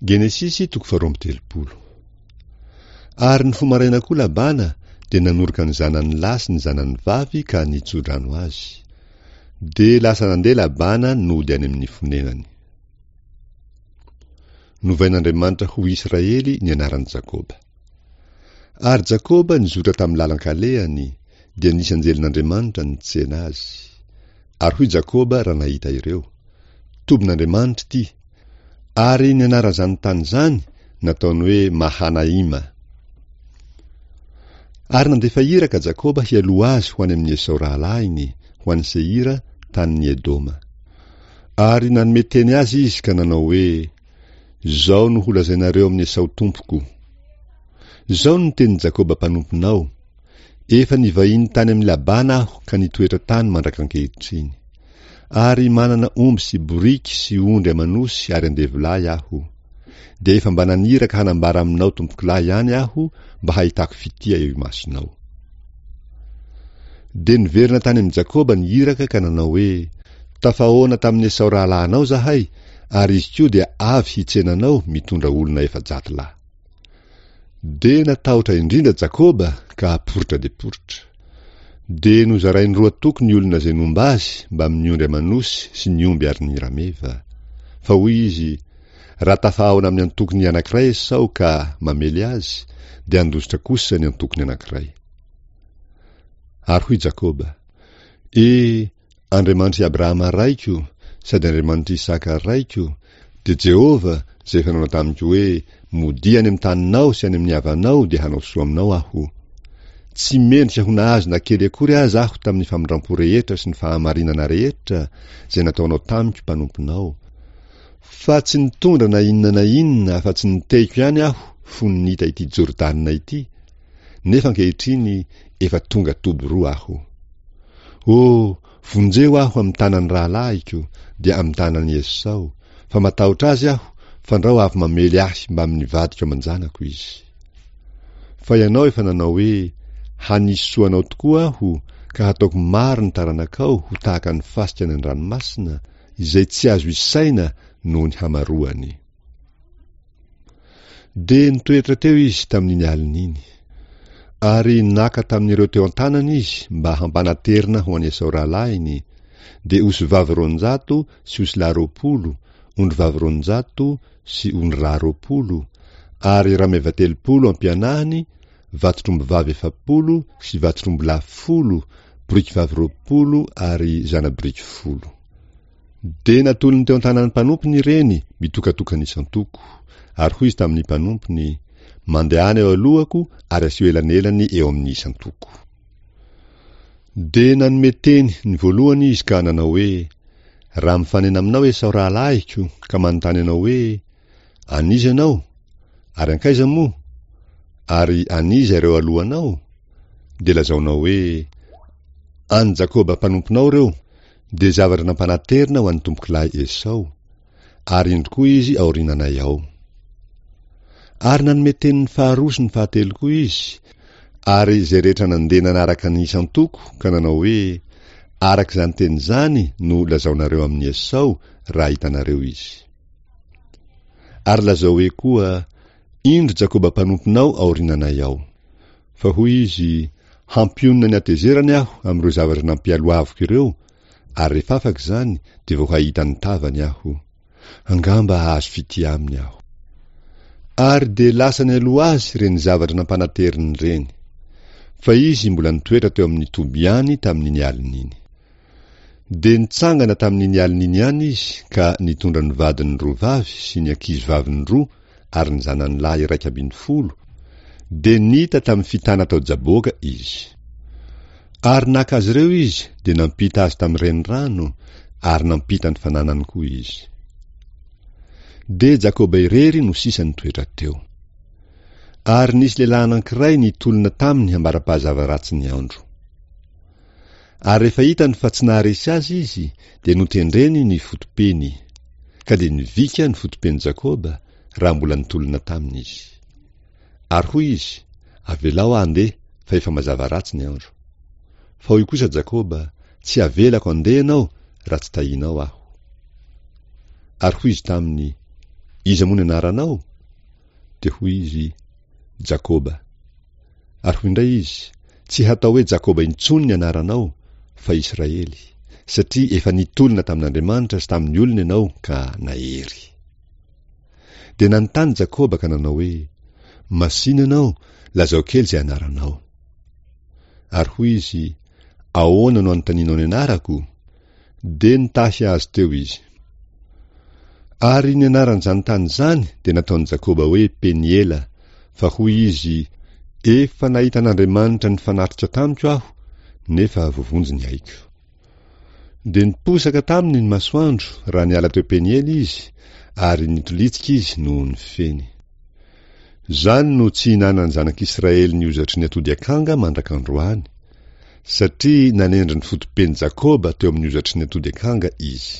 Genesisy toko faharoa amby telopolo. Ary nifoha maraina koa Labana dia nanoroka ny zanany lahy sy ny zanany vavy ka nitso-drano azy. Dia lasa nandeha Labana nody any amin'ny fonenany. Novain'Andriamanitra ho Israely ny anaran'i Jakoba. Ary Jakoba nizotra tamin'ny lalan-kalehany, dia nisy anjelin'Andriamanitra nitsena azy. Ary hoy Jakoba raha nahita ireo, Tobin'Andriamanitra ity! Ary ny anaran'izany tany izany nataony hoe Mahanaima. Ary nandefa iraka Jakoba hialoha azy ho any amin'i Esao rahalahiny, ho any Seira, tanin'i Edoma. Ary nanome teny azy izy ka nanao hoe, Izao no holazainareo amin'i Esao tompoko, Izao no tenin'i Jakoba mpanomponao, Efa nivahiny tany amin'i Labana aho ka nitoetra tany mandrak'ankehitriny. Ary manana omby sy boriky sy ondry aman'osy ary andevolahy aho. Dia efa mba naniraka hanambara aminao tompokolahy ihany aho mba hahitako fitia eo imasonao. Dia niverina tany amin'i Jakoba ny iraka ka nanao hoe, Tafahaona tamin'i Esao rahalahinao izahay, ary izy koa dia avy hitsena anao mitondra olona 400 lahy. Dia natahotra indrindra Jakoba ka poritra dia poritra. Dia nozarainy roa toko ny olona izay nomba azy mbamin'ny ondry aman'osy sy ny omby ary ny rameva. Fa hoy izy, Raha tafahaona amin'ny antokony anankiray Esao ka mamely azy, dia handositra kosa ny antokony anankiray. Ary hoy Jakoba, E, Andriamanitr'i Abrahama raiko, sady Andriamanitr'i Isaka raiko, dia Jehovah, izay efa nanao tamiko hoe, Modia any amin'ny taninao sy any amin'ny havanao, dia hanao soa aminao Aho. Tsy mendrika ho nahazo na kely akory aza aho tamin'ny famindram-po rehetra sy ny fahamarinana rehetra izay nataonao tamiko mpanomponao, fa tsy nitondra na inona na inona afa-tsy ny tehiko ihany aho fony nita ity Jordana ity, nefa ankehitriny efa tonga toby roa aho. O, vonjeo aho amin'ny tanan'ny rahalahiko, dia amin'ny tanan'i Esao, fa matahotra azy aho, fandrao avy mamely ahy mbamin'ny vadiko aman-janako izy. Fa ianao efa nanao hoe, Hanisy soa anao tokoa aho, ka hataoko maro ny taranakao ho tahaka ny fasika any an-dranomasina, izay tsy azo isaina noho ny hamaroany. Dia nitoetra teo izy tamin'iny alina iny. Ary naka tamin'ireo teo an-tanany izy mba hampanaterina ho an'i Esao rahalahiny, dia osivavy 200 sy osilahy 20, ondrivavy 200 sy ondrilahy 20, ary rameva 30 ampianahiny, vatotr'ombivavy 40 sy vatotr'ombilahy 10, borikivavy 20 ary zana-boriky 10. Dia natolony teo an-tanan'ny mpanompony ireny, mitokatokana isan-toko. Ary hoy izy tamin'ny mpanompony, Mandehana eo alohako ary asio elanelany eo amin'ny isan-toko. Dia nanome teny ny voalohany izy ka nanao hoe, Raha mifanena aminao Esao rahalahiko ka manontany anao hoe, An'iza ianao? Ary hankaiza moa? Ary an'iza ireo alohanao? Dia lazaonao hoe, An'i Jakoba mpanomponao ireo, dia zavatra nampanaterina ho an'ny tompokolahy Esao, ary indro koa izy aoriananay ao. Ary nanome teny ny faharoa sy ny fahatelo koa izy, ary izay rehetra nandeha nanaraka ny isan-toko ka nanao hoe, Araka izany teny izany no lazaonareo amin'i Esao raha hitanareo izy. Ary lazao hoe koa, Indro Jakoba mpanomponao aoriananay ao. Fa hoy izy, Hampionona ny hatezerany aho amin'ireo zavatra nampialohaviko ireo, ary rehefa afaka izany dia vao hahita ny tavany aho. Angamba hahazo fitia aminy aho. Ary dia lasa nialoha azy ireny zavatra nampanateriny ireny. Fa izy mbola nitoetra teo amin'ny toby ihany tamin'iny alina iny. Dia nitsangana tamin'iny alina iny ihany izy ka nitondra ny vadiny roa vavy sy ny ankizy vaviny roa ary ny zanany lahy 11, dia nita tamin'ny fitana tao Jaboka izy. Ary naka azy ireo izy dia nampita azy tamin'ny renirano, ary nampita ny fananany koa izy. Dia Jakoba irery no sisa nitoetra teo. Ary nisy lehilahy anankiray nitolona taminy ambara-pahazava-ratsy ny andro. Ary rehefa hitany fa tsy naharesy azy izy, dia notendreny ny foto-peny. Ka dia nivika ny foto-pen'i Jakoba, raha mbola nitolona taminy izy. Ary hoy izy, Avelao aho handeha, fa efa mazava ratsy ny andro. Fa hoy kosa Jakoba, Tsy havelako handeha ianao, raha tsy tahianao aho. Ary hoy izy taminy, Iza moa ny anaranao? Dia hoy izy, Jakoba. Ary hoy indray izy, Tsy hatao hoe Jakoba intsony ny anaranao, fa Israely, satria efa nitolona tamin'Andriamanitra sy tamin'ny olona ianao ka nahery. Dia nanontany Jakoba ka nanao hoe, Masìna ianao, lazao kely izay anaranao. Ary hoy izy, Ahoana no anontanianao ny anarako? Dia nitahy azy teo izy. Ary ny anaran'izany tany izany dia nataon'i Jakoba hoe Peniela, fa hoy izy, Efa nahita an'Andriamanitra nifanatrika tamiko aho, nefa voavonjy ny aiko. Dia niposaka taminy ny masoandro raha niala teo Peniela izy, ary nitolitsika izy noho ny feny. Izany no tsy ihinanan'ny zanak'Israely ny hozatry ny atody akanga mandrak'androany, satria nanendry ny foto-pen'i Jakoba teo amin'ny hozatry ny atody akanga izy.